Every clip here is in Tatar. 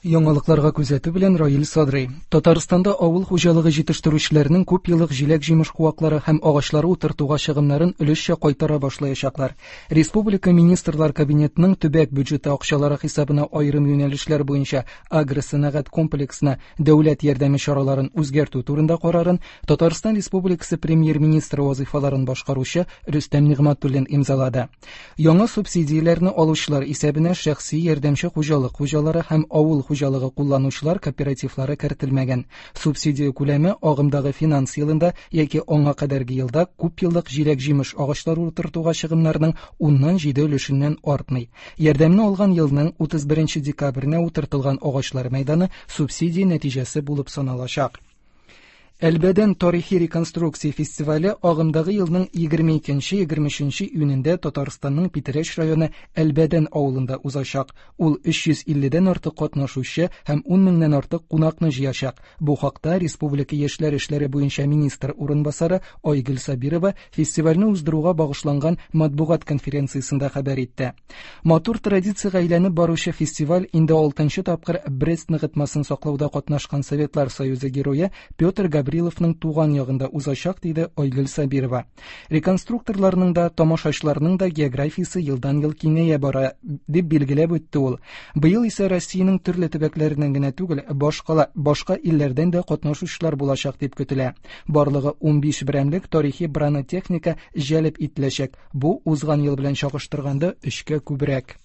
Яңалыкларга күзәтү белән Раил Садрый. Татарстанда авыл хуҗалыгы җитештерүчеләренең күп еллык җиләк-җимеш куаклары һәм агачлары утыртуга чыгымнарын өлешчә кайтара башлаячаклар. Республика Министрлар Кабинетының төбәк бюджеты акчалары хисабына аерым юнәлешләр буенча агросәнәгать комплексына дәүләт ярдәме чараларын үзгәртү турында карарын Татарстан Республикасы Премьер-министры вазыйфаларын башкаручы Рөстәм Нигъмәтуллин имзалады. Яңа субсидияләрне алучылар исәбенә шәхси ярдәмче хуҗалык хуҗалары һәм авыл хуҗалыгы кулланучылар кооперативлары кертелмәгән. Субсидия күләме агымдагы финанс елында яки аңа кадәрге елда күпьеллык җиләк-җимеш агачлары утыртуга чыгымнарның уннан җиде өлешеннән артмый. Ярдәмне алган елның 31 декабренә утыртылган агачлар мәйданы субсидия нәтиҗәсе булып саналачак. Әлбәдән тарихи реконструкция фестивале агымдагы елның 22-23 июнендә Татарстанның Питрәч районы Әлбәдән авылында узачак. Ул 350 дән артык катнашучы һәм 10 меңнән артык кунакны җыячак. Бу хакта республика яшьләр эшләре буенча министр урынбасары Айгөл Сабирова фестивальне уздыруга багышланган матбугат конференциясендә хәбәр итте. Матур традициягә әйләнеп баручы фестиваль инде алтынчы тапкыр Брест ныгытмасын саклауда катнашкан Советлар Союзы герое Петр Гавриловның туган ягында узачак, диде Айгөл Сабирова. Реконструкторларның да, тамашачыларның да географиясе елдан-ел киңәя бара, дип билгеләп үтте ул. Быел исә Россиянең төрле төбәкләреннән генә түгел, башкала, башка илләрдән дә катнашучылар булачак дип көтелә. Барлыгы 15 берәмлек тарихи бронетехника җәлеп ителәчәк. Бу узган ел белән чагыштырганда өчкә күбрәк.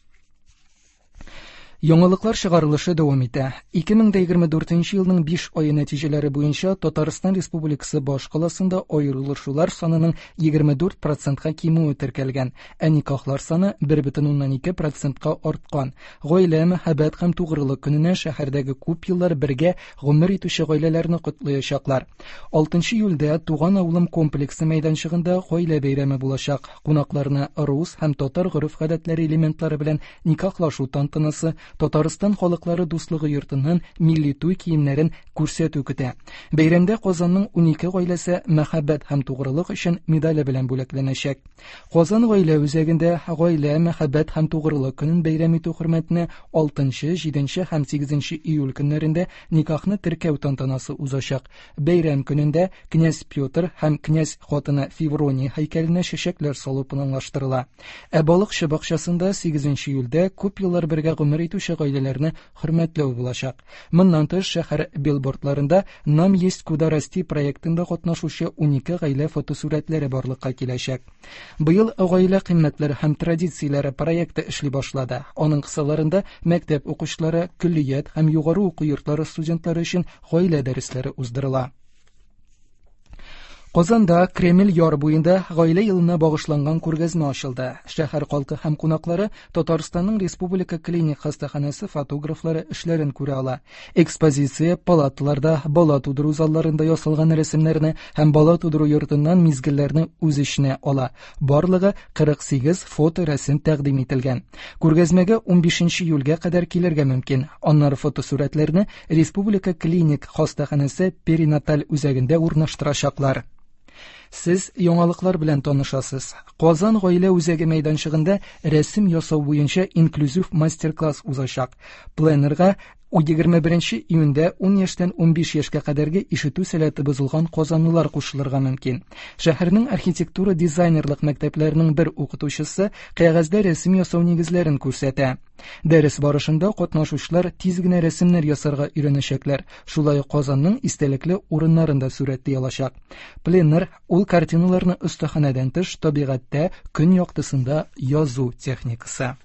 Яңалыклар чыгарылышы дәвам итә. 2024 елның 5 ае нәтиҗәләре буенча Татарстан Республикасы баш каласында аерылышулар санының 24 процентка кимүе теркәлгән, ә никахлар саны 1,2 процентка арткан. Гаилә, мәхәббәт һәм тугрылык көненә шәһәрдәге күп еллар бергә гомер итүче гаиләләрне котлаячаклар. 6 июльдә Туган авылым комплексы мәйданчыгында гаилә бәйрәме булачак. Кунакларны рус һәм татар гореф-гадәтләре элементлары белән никахлашу тантанасы, Татарстан халыклары дуслыгы йортыннан милли туй киемнәрен күрсәтү көтә. Бәйрәмдә Казанның 12 гаиләсе Мәхәббәт һәм тугрылык өчен медале белән бүләкләнәчәк. Казан гаилә үзәгендә Гаилә, мәхәббәт һәм тугрылык көнен бәйрәм итү хөрмәтенә 6, 7 һәм 8 июль көннәрендә никахны теркәү тантанасы узачак. Бәйрәм көнендә князь Петр һәм князь хатыны Феврония һәйкәленә чәчәкләр салу планлаштырыла. Ә Балыкчы бакчасында 8 июльдә күп еллар бергә гомер итүче гаиләләрне хөрмәтләү булачак. Моннан тыш, шәһәр билбордларында Нам есть куда расти проектында катнашучы 12 гаилә фотосурәтләре барлыкка киләчәк. Быел Гаилә кыйммәтләре һәм традицияләре проекты эшли башлады. Аның кысаларында мәктәп укучылары, көллият һәм югары уку йортлары студентлары өчен гаилә дәресләре уздырыла. Казанда Кремль яр буенда гаилә елына багышланган күргәзмә ачылды. Шәһәр халкы һәм кунаклары Татарстанның Республика клиник хастаханәсе фотографлары эшләрен күрә ала. Экспозиция палаталарда, бала тудыру залларында ясалган рәсемнәрне һәм бала тудыру йортыннан мизгелләрне үз эченә ала. Барлыгы 48 фоторәсем тәкъдим ителгән. Күргәзмәгә 15 июльгә кадәр килергә мөмкин. Аннары фотосурәтләрне Республика клиник хастаханәсе перинаталь үзәгендә урнаштырачаклар. Сез яңалыклар белән танышасыз. Казан гаилә үзәге мәйданчыгында рәсем ясау буенча инклюзив мастер-класс узачак. Пленерга 21 июньдә 10 яшьтән 15 яшькә кадәрге ишетү сәләте бозылган казанлылар кушылырга мөмкин. Шәһәрнең архитектура-дизайнерлык мәктәпләренең бер укытучысы кәгазьдә рәсем ясау нигезләрен күрсәтә. Дәрес барышында катнашучылар тиз генә рәсемнәр ясарга өйрәнәчәкләр, шулай ук Казанның истәлекле урыннарын да сурәтли алачак. Пленэр ул картиналарны остаханәдән тыш табигатьтә көн яктысында язу техникасы.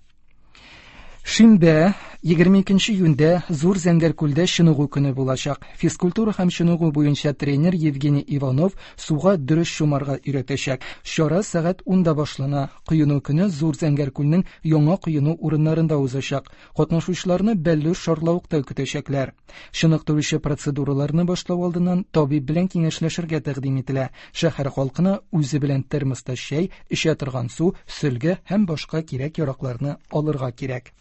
Шимбә, 22 июньдә Зур Зәңгәр күлдә чыныгу көне булачак. Физкультура һәм чыныгу буенча тренер Евгений Иванов суга дөрес чумарга өйрәтәчәк. Чара сәгать 10-да башлана. Коену көне Зур Зәңгәр күлнең яңа коену урыннарында узачак. Катнашучыларны бәллүр шарлавыкта көтәчәкләр. Чыныктыручы процедураларны башлау алдыннан табиб белән киңәшләшергә тәкъдим ителә. Шәһәр халкына үзе белән термоста чәй, эчә торган су, сөлге һәм башка кирәк-яракларны алырга кирәк.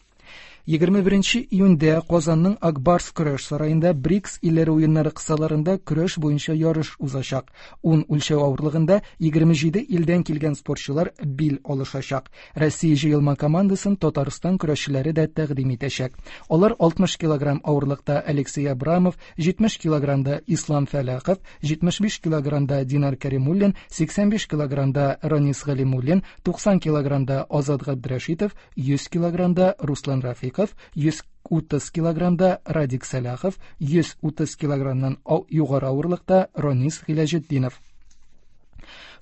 21 июньдә Казанның Ак Барс көрәш сараенда БРИКС илләре уеннары кысаларында көрәш буенча ярыш узачак. Ун үлчәү авырлыгында 27 илдән килгән спортчылар бил алышачак. Россия җыелма командасын Татарстан көрәшчеләре дә тәкъдим итәчәк. Алар 60 килограмм авырлыкта Алексей Абрамов, 70 килограммда Ислам Фәләхов, 75 килограммда Динар Кәримуллин, 85 килограммда Ранис Галимуллин, 90 килограммда Азат Габдрәшитов, 100 килограммда Руслан Рафиков, 130 килограммда Радик Сәлахов, 130 килограммнан югары авырлыкта Ранис Гыйләҗетдинов.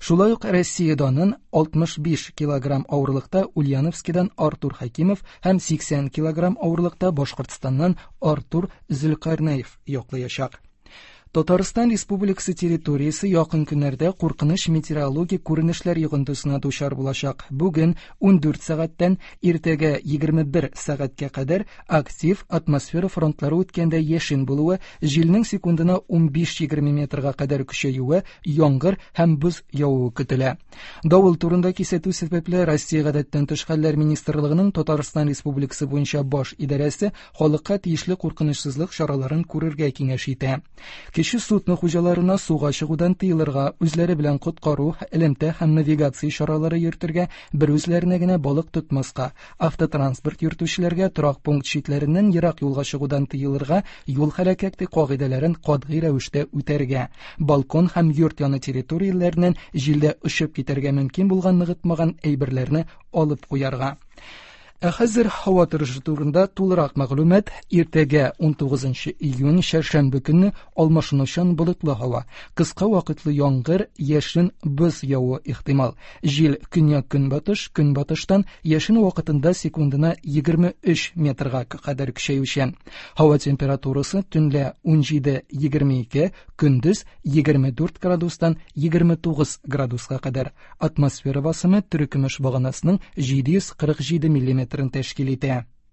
Шулай ук Россия данын 65 килограмм авырлыкта Ульяновскидан Артур Хәкимов һәм 80 килограмм авырлыкта Башкортстаннан Артур Зөлкарнәев яклаячак. Татарстан Республикасы территориясе якын көннәрдә куркыныч метеорологик күренешләр йогынтысына дучар булачак. Бүген 14 сәгатьтән иртәгә 21 сәгатькә кадәр актив атмосфера фронтлары үткәндә яшен булуы, җилнең секундына 15-20 метрга кадәр көчәюе, яңгыр һәм боз явуы көтелә. Давыл турында кисәтү сәбәпле Россия гадәттән тыш хәлләр министрлыгының Татарстан Республикасы буенча баш идарәсе халыкка тиешле куркынычсызлык чараларын күрергә киңәш итә. Кече судно хуҗаларына суга чыгудан тыелырга, үзләре белән коткару, элемтә һәм навигация чаралары йөртергә, бер үзләренә генә балык тотмаска, автотранспорт йөртүчеләргә торак пункт читләреннән ерак юлга чыгудан тыелырга, юл хәрәкәте кагыйдәләрен катгый рәвештә үтәргә, балкон һәм йорт яны территорияләреннән җилдә очып китәргә мөмкин булган ныгытмаган әйберләрне алып куярга. Ә хәзер һава торышы турында тулырак мәгълүмат. Иртәгә 19 июнь чәршәмбе көнне алмашынучан болытлы һава. Кыска вакытлы яңгыр, яшен, боз явуы ихтимал. Җил көньяк-көнбатыш, көнбатыштан яшен вакытында секундына 23 метрга кадәр көчәючән. Һава температурасы төнлә 17-22, көндез 24 градустан 29 градуска кадәр. Атмосфера басымы терекөмеш баганасының 747 миллиметрын тәшкил итә.